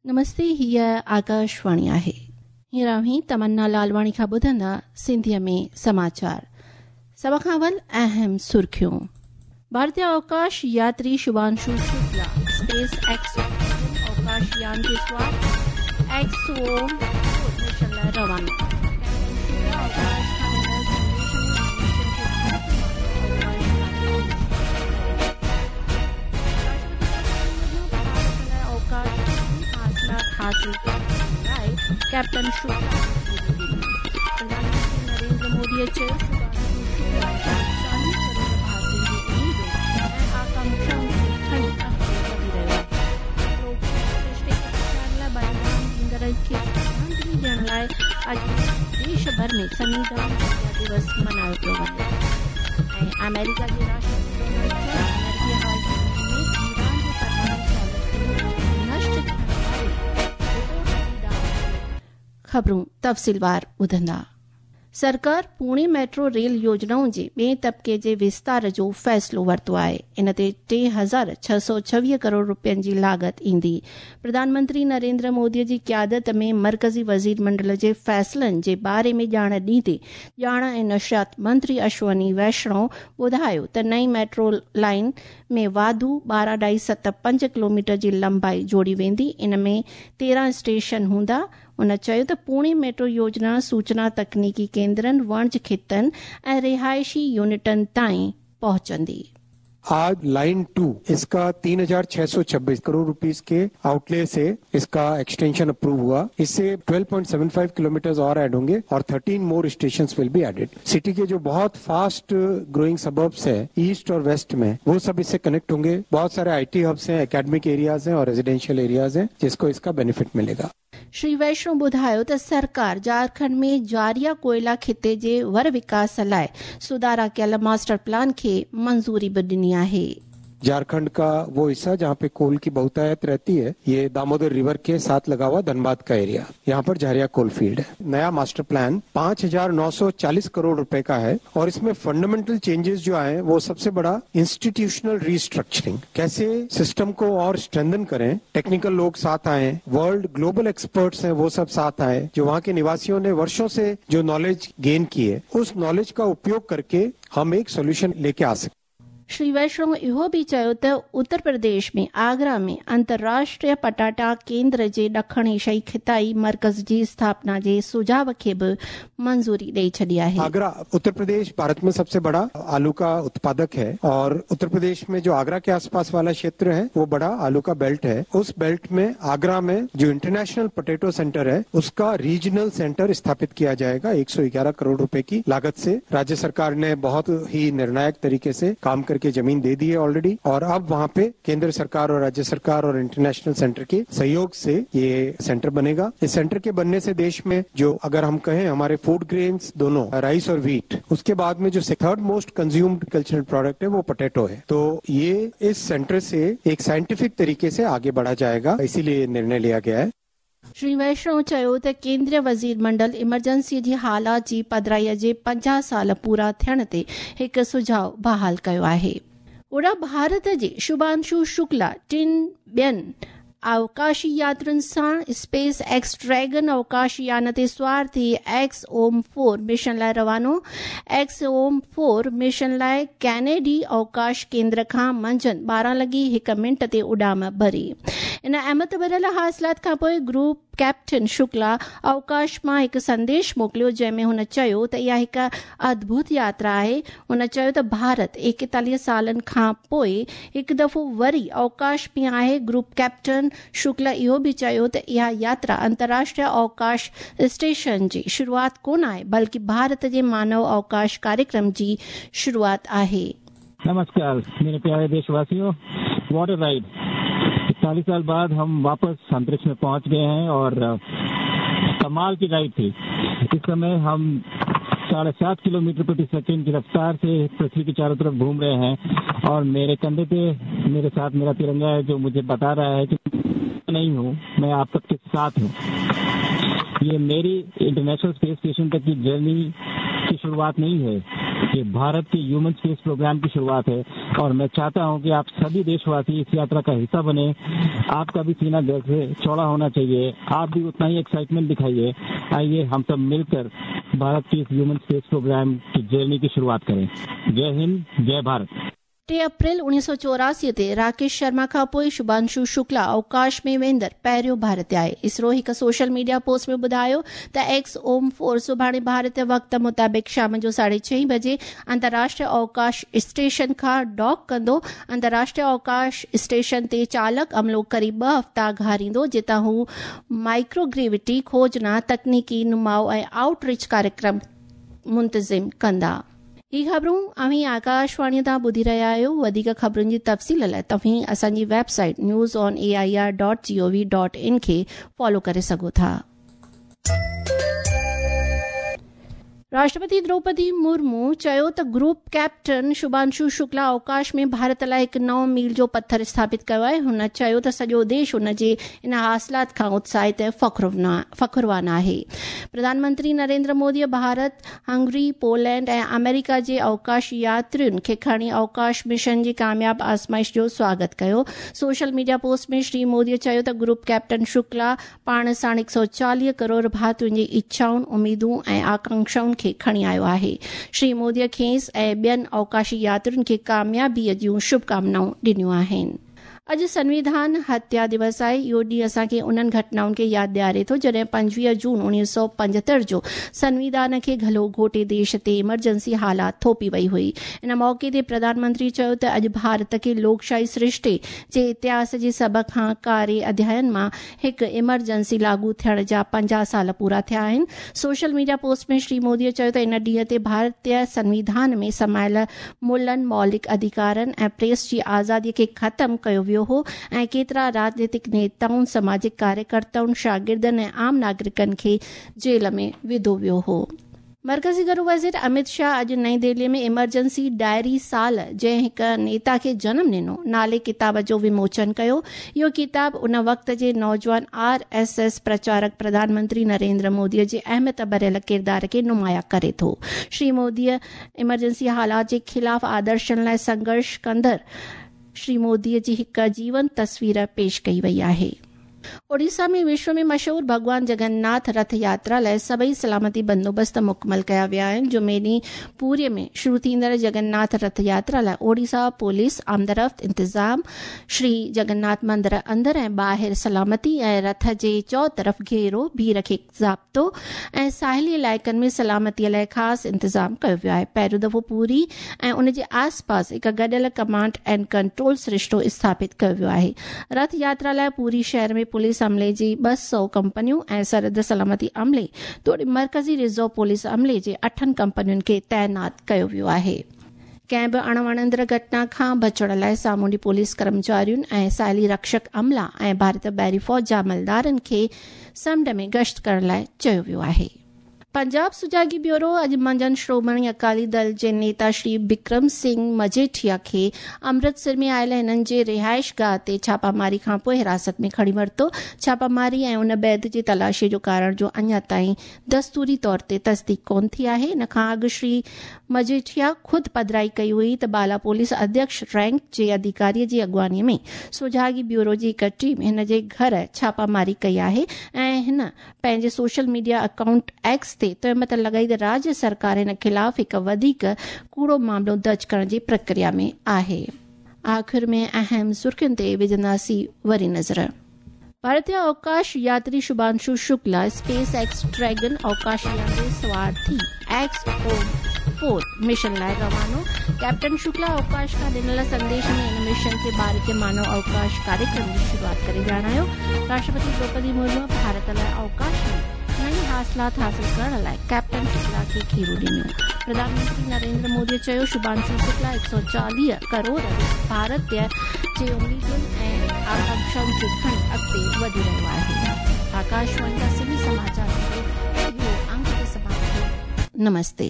नमस्ते, हीअ आकाशवाणी आहे। हींअर अव्हीं तमन्ना लालवाणी खां ॿुधंदा सिंधीअ में समाचार। सभ खां अवल अहम सुर्खियूं। भारतीय अवकाश यात्री शुभांशु शुक्ला स्पेस एक्स अवकाश यान ते सवार एक्स ओम मिशन लाइ रवानो। अवकाश खां ॾिनल संदेश में मिशन खे भारत लाइ अवकाश हासिल करण लाइ कैप्टन शुक्ला प्रधानमंत्री नरेंद्र मोदीअ चयो, शुभांशु शुक्ला 40 करोड़ भारतीयनि जी उम्मीदूं ऐं आकांक्षाउनि खे खणी अॻिते वधी रहियो आहे। लोकसृष्टि खे बचाइण लाइ बलिदान ॾींदड़नि खे श्रद्धांजलि ॾियण लाइ अॼु देश भर में संविधान हत्या दिवस मनायो पियो वञे। ऐं अमेरिका जे राष्ट्रपति डोनाल्ड ट्रंप अमेरिकी हवाई में ईरान जे परमाणु सहूलियतुनि नष्ट थियण वारी रिपोर्ट जी दाव। ख़बरूं तफ़सीलवार ॿुधंदा। सरकार पुणे मेट्रो रेल योजनाउनि जे ॿिए तबिके जे विस्तार जो फ़ैसिलो वरितो आहे। इन ते 3626 करोड़ रुपयनि जी लागत ईंदी। प्रधानमंत्री नरेंद्र मोदीअ जी क़यादत में मर्कज़ी वज़ीर मंडल जे फ़ैसिलनि जे बारे में ॼाण ॾींदे ॼाण ऐं नशियात मंत्री अश्वनी वैष्णव ॿुधायो त नई मेट्रो लाइन में वाधू 12.75 किलोमीटर जी लंबाई जोड़ी वेंदी। इन में 13 स्टेशन हूंदा। हुन चयो त पुणे मेट्रो योजना सूचना तकनीकी केंद्रनि, वणज ख़ितनि ऐं रिहाइशी यूनिटनि ताईं पहुचंदी। आज लाइन 2 इसका 3626 करोड़ रुपीस के आउटले से इसका एक्सटेंशन अप्रूव हुआ। इससे 12.75 किलोमीटर और ऐड होंगे और 13 more stations will be added. City के जो बहुत फास्ट ग्रोइंग सबर्ब्स है ईस्ट और वेस्ट में, वो सब इससे कनेक्ट होंगे। बहुत सारे IT hubs हैं, एकेडमिक एरियाज हैं और रेजिडेंशियल एरियाज हैं जिसको इसका बेनिफिट मिलेगा। श्री वैष्णव ॿुधायो त सरकार झारखंड में जारिया कोयला खिते जे वर विकास लाइ सुधारा कयल मास्टर प्लान खे मंज़ूरी बि ॾिनी आहे। झारखंड का वो हिस्सा जहाँ पे कोल की बहुतायत रहती है, ये दामोदर रिवर के साथ लगा हुआ धनबाद का एरिया, यहाँ पर झारिया कोल फील्ड है। नया मास्टर प्लान 5940 करोड़ रुपए का है और इसमें फंडामेंटल चेंजेस जो आए वो सबसे बड़ा इंस्टीट्यूशनल रीस्ट्रक्चरिंग, कैसे सिस्टम को और स्ट्रेंथन करें, टेक्निकल लोग साथ आए, वर्ल्ड ग्लोबल एक्सपर्ट्स हैं वो सब साथ आए, जो वहाँ के निवासियों ने वर्षों से जो नॉलेज गेन की है उस नॉलेज का उपयोग करके हम एक सोल्यूशन लेके आ सकते। श्री वैष्णव इहो बि चयो त उत्तर प्रदेश में आगरा में अंतर्राष्ट्रीय पटाटा केंद्र जे ॾखण एशियाई खिताई मर्कज़ जी स्थापना जे सुझाव खे बि मंज़ूरी ॾेई छॾी आहे। आगरा उत्तर प्रदेश भारत में सबसे बड़ा आलू का उत्पादक है और उत्तर प्रदेश में जो आगरा के आसपास वाला क्षेत्र है वो बड़ा आलू का बेल्ट है। उस बेल्ट में आगरा में जो इंटरनेशनल पोटैटो सेंटर है उसका रीजनल सेंटर स्थापित किया जाएगा। 111 करोड़ रुपए की लागत से राज्य सरकार ने बहुत ही निर्णायक तरीके से काम करके जमीन दे दी है ऑलरेडी और अब वहाँ पे केंद्र सरकार और राज्य सरकार और इंटरनेशनल सेंटर के सहयोग से ये सेंटर बनेगा। इस सेंटर के बनने से देश में जो अगर हम कहें हमारे फूड ग्रेन्स दोनों राइस और व्हीट, उसके बाद में जो third most consumed cultural product है वो पोटैटो है। तो ये इस सेंटर से एक साइंटिफिक तरीके से आगे बढ़ा जाएगा, इसीलिए निर्णय लिया गया है। श्री वैष्णव चयो त केंद्रीय वज़ीर मंडल इमरजेंसी जी हालात जी पधराईअ जे 50 साल पूरा थियण ते हिकु सुझाव बहाल कयो आहे। ओॾा भारत जे शुभांशु शुक्ला टिनि ॿियनि अवकाशी यात्रुनि सां स्पेस एक्स ड्रैगन अवकाश यान ते सवार थी एक्स ओम 4 मिशन लाइ रवानो। एक्स ओम 4 मिशन लाइ कैनेडी अवकाश केंद्र खां मंझंदि 12:01 ते उॾाम भरी। इन अहमत भरियल हासिलात खां पोइ ग्रुप कैप्टन शुक्ला अवकाश मां हिकु संदेश मोकिलियो जंहिंमें हुन चयो त इहा हिकु अद्भुत यात्रा आहे। हुन चयो त भारत 41 सालनि खां पोइ हिकु दफ़ो वरी अवकाश में आहे। ग्रुप कैप्टन शुक्ला इहो बि चयो त इहा यात्रा अंतर्राष्ट्रीय अवकाश स्टेशन जी शुरूआत कोन आहे, बल्कि भारत जे मानव अवकाश कार्यक्रम जी शुरूआत आहे। नमस्कार मेरे प्यारे देशवासियों, what a ride. 41 साल बाद हम वापस अंतरिक्ष में पहुंच गए हैं और कमाल की राइड थी। इस समय हम 7.5 किलोमीटर प्रति सेकंड की रफ्तार से पृथ्वी के चारों तरफ घूम रहे हैं और मेरे कंधे पे मेरे साथ मेरा तिरंगा है जो मुझे बता रहा है कि नहीं हूँ, मैं आप सबके साथ हूँ। ये मेरी इंटरनेशनल स्पेस स्टेशन तक की जर्नी की शुरुआत नहीं है, ये भारत के ह्यूमन स्पेस प्रोग्राम की शुरुआत है और मैं चाहता हूं कि आप सभी देशवासी इस यात्रा का हिस्सा बने। आपका भी सीना गर्व से चौड़ा होना चाहिए, आप भी उतना ही एक्साइटमेंट दिखाइए। आइए हम सब मिलकर भारत की इस ह्यूमन स्पेस प्रोग्राम की जर्नी की शुरुआत करें। जय हिंद, जय भारत। 3 अप्रैल 1984 ते राकेश शर्मा खां पोइ शुभांशु शुक्ला अवकाश में वेंदड़ पहिरियों भारतीय आहे। इसरो हिकु सोशल मीडिया पोस्ट में ॿुधायो त एक्स ओम 4 सुभाणे भारतीय वक़्त मुताबिक़ शाम जो 6:30 बजे अंतर्राष्ट्रीय अवकाश स्टेशन खां डॉक कंदो। अंतर्राष्ट्रीय अवकाश स्टेशन ते चालक अमलो क़रीब 2 हफ़्ता घारींदो, जितां हू माइक्रोग्रेविटी खोजना, तकनीकी नुमाउ ऐं आउटरीच कार्यक्रम मुंतज़िम कंदा। ही ख़बरूं अव्हीं आकाशवाणीअ तां ॿुधी रहिया आहियो। वधीक ख़बरुनि जी तफ़सील लाइ तव्हीं असांजी वेबसाइट newsonair.gov.in खे फॉलो करे सघो था। राष्ट्रपति द्रौपदी मुर्मू चयो त ग्रुप कैप्टन शुभांशु शुक्ला अवकाश में भारत लाइ हिकु नओं मील जो पथर स्थापित कयो आहे। हुन चयो त सॼो देश हुन जे इन हासिलात खां उत्साहित ऐं फ़ख़्रवान आहे। प्रधानमंत्री नरेंद्र मोदीअ भारत, हंगरी, पोलैंड ऐं अमेरिका जे अवकाश यात्रियुनि खे खणी अवकाश मिशन जी कामयाब आज़माइश जो स्वागत कयो। सोशल मीडिया पोस्ट में श्री मोदीअ चयो त ग्रुप कैप्टन शुक्ला पाण साण 140 करोड़ भारतीयुनि जी इच्छाउनि, उमेदूं ऐं आकांक्षाउनि खे खणी आयो आहे। श्री मोदीअ खेसि ऐं ॿियनि अवकाशी यात्रियुनि खे कामयाबीअ जूं शुभकामनाऊं ॾिनियूं आहिनि। अॼु संविधान हत्या दिवस आहे। इहो ॾींहुं असांखे उन्हनि घटनाउनि खे यादि ॾियारे थो जॾहिं 25 जून 1975 जो संविधान खे गलो घोटे देश ते इमरजेंसी हालात थोपी वई हुई। इन मौक़े ते प्रधानमंत्री चयो त अॼु भारत खे लोकशाही सृष्टि जे इतिहास जे सभ खां कारे अध्यायनि मां हिकु इमरजेंसी लागू थियण जा 50 साल पूरा थिया आहिनि। सोशल मीडिया पोस्ट में श्री मोदीअ चयो त इन ॾींहं ते भारतीय संविधान में समायल मुलनि, मौलिक अधिकारनि ऐं प्रेस जी आज़ादीअ खे ख़तमु कयो वियो हो ऐं केतिरा राजनीतिक नेताउनि, सामाजिक कार्यकर्ताउनि, शागिर्दनि ऐं आम नागरिकनि खे जेल में विधो वियो हो। मर्कज़ी घरू वज़ीर अमित शाह अॼु नई दिल्लीअ में इमरजेंसी डायरी साल जंहिं हिकु नेता खे जनम ॾिनो नाले किताब जो विमोचन कयो। इहो किताब उन वक़्त जे नौजवान RSS प्रचारक प्रधानमंत्री नरेंद्र मोदीअ जे अहमियत भरियल किरदार खे नुमायां करे थो। श्री मोदीअ इमरजेंसी हालात जे ख़िलाफ़ आदर्शनि लाइ संघर्ष कंदड़ श्री मोदीअ जी हिकु जीवंत तस्वीर पेश कई वई आहे। ओडिशा में विश्व में मशहूर भॻवान जगन्नाथ रथ यात्रा लाइ सभई सलामती बंदोबस्त मुकमल कया विया आहिनि। जुमे ॾींहुं पूरीअ में शुरू थींदड़ जगन्नाथ रथ यात्रा लाइ ओडिशा पुलिस आमदरफ़्त इंतज़ाम श्री जगन्नाथ मंदिर अंदरि ऐं ॿाहिरि सलामती ऐं रथ जे चौतरफ़ घेरो, भीड़ खे ज़ाब्तो ऐं साहिली इलाइक़नि में सलामतीअ लाइ ख़ासि इंतज़ाम कयो वियो आहे। पहिरियों दफ़ो पूरी ऐं उन जे आसपास हिकु गॾियल कमांड एंड कंट्रोल सरिश्तो स्थापित कयो वियो आहे। रथ यात्रा लाइ पूरी शहर में पुलिस अमले जी 200 कंपनियूं ऐं सरहद सलामती अमले तोड़े मर्कज़ी रिज़र्व पुलिस अमले जे 8 कंपनियुनि खे तैनात कयो वियो आहे। कंहिं बि अणवणंदड़ घटना खां बचण लाइ सामुंडी पुलिस कर्मचारियुनि ऐं साहिली रक्षक अमला ऐं भारतीय बहरी फ़ौज जा अमलदारनि खे समुंड में गश्त करण लाइ चयो वियो आहे। पंजाब सुजागी ब्यूरो अॼु मंझंदि श्रोमणी अकाली दल जे नेता श्री बिक्रम सिंह मजेठिया खे अमृतसर में आयल हिननि जे रिहाइश गाह ते छापामारी खां पोइ हिरासत में खणी वरितो। छापामारी ऐं उन बैद जे तलाशीअ जो कारण जो अञा ताईं दस्तूरी तौर ते तस्दीक कोन थी आहे। इन खां अॻु श्री मजेठिया ख़ुदि पधराई कई हुई त बाला पुलिस अध्यक्ष रैंक जे अधिकारीअ जी अॻुवाणीअ में सुजागी ब्यूरो जी हिकु टीम हिन जे घर छापामारी कई आहे ऐं हिन पंहिंजे सोशल मीडिया अकाउंट एक्स ते तोहमत लॻाई त राज्य सरकार हिन ख़िलाफ़ हिकु वधीक कूड़ो मामिलो दर्ज करण जी प्रक्रिया में आहे। आख़िर में अहम सुर्खियुनि ते विझंदासीं वरी नज़र। भारतीय अवकाश यात्री Shubhanshu Shukla space X Dragon अवकाश यान ते सवार थी XO4 mission लाइ रवानो। कैप्टन शुक्ला अवकाश खां ॾिनल संदेश में इन मिशन खे भारतीय मानव अवकाश कार्यक्रम जी शुरूआत करे ॼाणायो। राष्ट्रपति द्रौपदी मुर्मू भारत लाइ अवकाश में नई हासिलात हासिल करण लाइ कैप्टन शुक्ला खे खेरू ॾिनो। प्रधानमंत्री नरेंद्र मोदीअ चयो शुभांशु शुक्ला 140 करोड़ भारतीय जे उम्मीदुनि ऐं आकांक्षाउनि खे खणी अॻिते वधी रहियो आहे। आकाशवाणी का सिंधी समाचार इहो अंक ते समाप्त। नमस्ते।